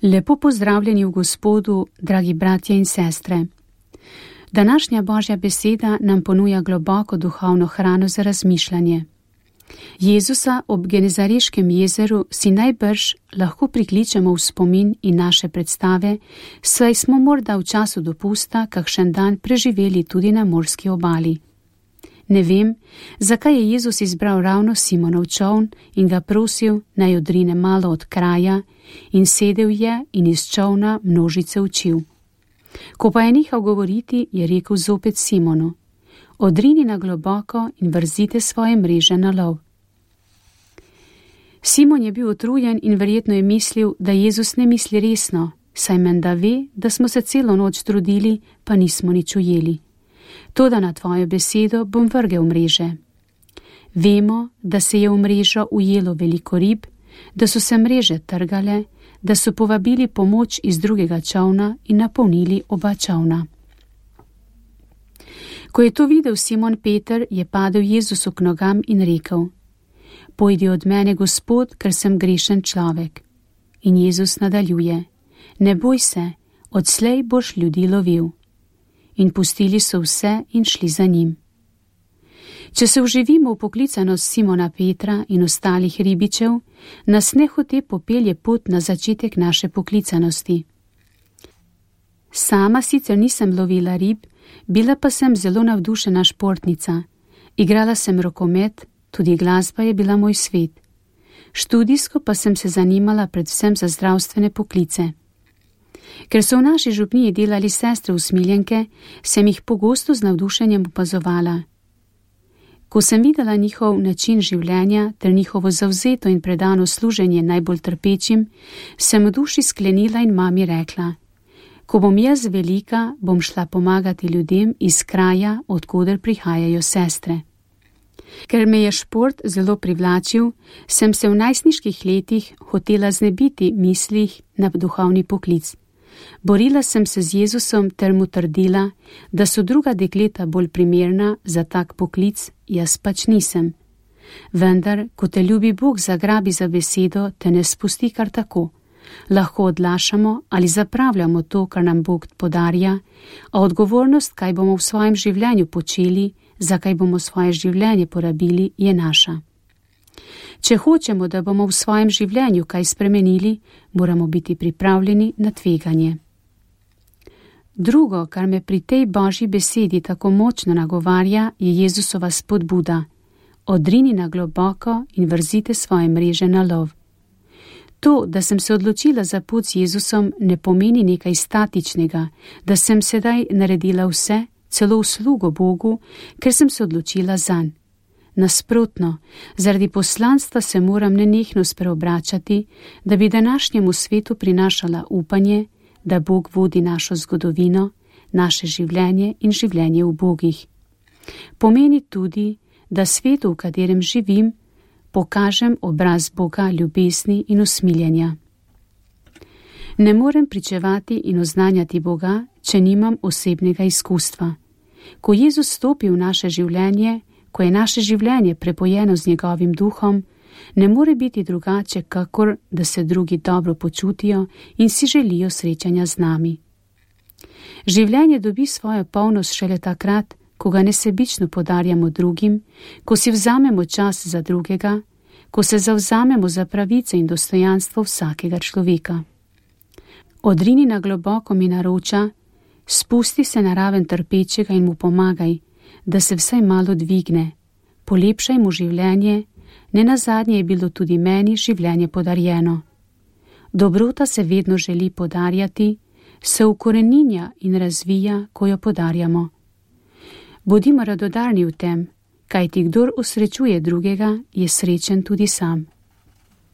Lepo pozdravljeni v Gospodu, dragi bratje in sestre. Današnja Božja beseda nam ponuja globoko duhovno hrano za razmišljanje. Jezusa ob Genezareškem jezeru si najbrž lahko prikličemo v spomin in naše predstave, saj smo morda v času dopusta kakšen dan preživeli tudi na morski obali. Ne vem, zakaj je Jezus izbral ravno Simonov čoln in ga prosil, naj odrine malo od kraja, in sedel je in iz čolna množice učil. Ko pa je nehal govoriti, je rekel zopet Simonu: odrini na globoko in vrzite svoje mreže na lov. Simon je bil utrujen in verjetno je mislil, da Jezus ne misli resno, saj menda ve, da smo se celo noč trudili, pa nismo nič ujeli. Toda na tvojo besedo bom vrgel mreže. Vemo, da se je v mrežo ujelo veliko rib, da so se mreže trgale, da so povabili pomoč iz drugega čolna in napolnili oba čolna. Ko je to videl Simon Peter, je padel Jezusu k nogam in rekel: pojdi od mene, Gospod, ker sem grešen človek. In Jezus nadaljuje: ne boj se, odslej boš ljudi lovil. In pustili so vse in šli za njim. Če se vživimo v poklicanost Simona Petra in ostalih ribičev, nas nehote popelje pot na začetek naše poklicanosti. Sama sicer nisem lovila rib, bila pa sem zelo navdušena športnica. Igrala sem rokomet, tudi glasba je bila moj svet. Študijsko pa sem se zanimala predvsem za zdravstvene poklice. Ker so v naši župniji delali sestre usmiljenke, sem jih pogosto z navdušenjem opazovala. Ko sem videla njihov način življenja ter njihovo zavzeto in predano služenje najbolj trpečim, sem v duši sklenila in mami rekla: ko bom jaz velika, bom šla pomagati ljudem iz kraja, odkoder prihajajo sestre. Ker me je šport zelo privlačil, sem se v najstniških letih hotela znebiti mislih na duhovni poklic. Borila sem se z Jezusom ter mu trdila, da so druga dekleta bolj primerna za tak poklic, jaz pač nisem. Vendar, ko te ljubi Bog zagrabi za besedo, te ne spusti kar tako. Lahko odlašamo ali zapravljamo to, kar nam Bog podarja, a odgovornost, kaj bomo v svojem življenju počeli, za kaj bomo svoje življenje porabili, je naša. Če hočemo, da bomo v svojem življenju kaj spremenili, moramo biti pripravljeni na tveganje. Drugo, kar me pri tej Božji besedi tako močno nagovarja, je Jezusova spodbuda: odrini na globoko in vrzite svoje mreže na lov. To, da sem se odločila za pot z Jezusom, ne pomeni nekaj statičnega, da sem sedaj naredila vse, celo uslugo Bogu, ker sem se odločila zanj. Nasprotno, zaradi poslanstva se moram nenehno spreobračati, da bi današnjemu svetu prinašala upanje, da Bog vodi našo zgodovino, naše življenje in življenje v Bogih. Pomeni tudi, da svetu, v katerem živim, pokažem obraz Boga ljubezni in usmiljenja. Ne morem pričevati in oznanjati Boga, če nimam osebnega izkustva. Ko Jezus stopi v naše življenje, ko je naše življenje prepojeno z njegovim duhom, ne more biti drugače, kakor da se drugi dobro počutijo in si želijo srečanja z nami. Življenje dobi svojo polnost šele takrat, ko ga nesebično podarjamo drugim, ko si vzamemo čas za drugega, ko se zavzamemo za pravice in dostojanstvo vsakega človeka. Odrini na globoko mi naroča: spusti se na raven trpečega in mu pomagaj, da se vsaj malo dvigne, polepšaj mu življenje, nenazadnje je bilo tudi meni življenje podarjeno. Dobrota se vedno želi podarjati, se ukoreninja in razvija, ko jo podarjamo. Bodimo radodarni v tem, kajti kdor osrečuje drugega, je srečen tudi sam.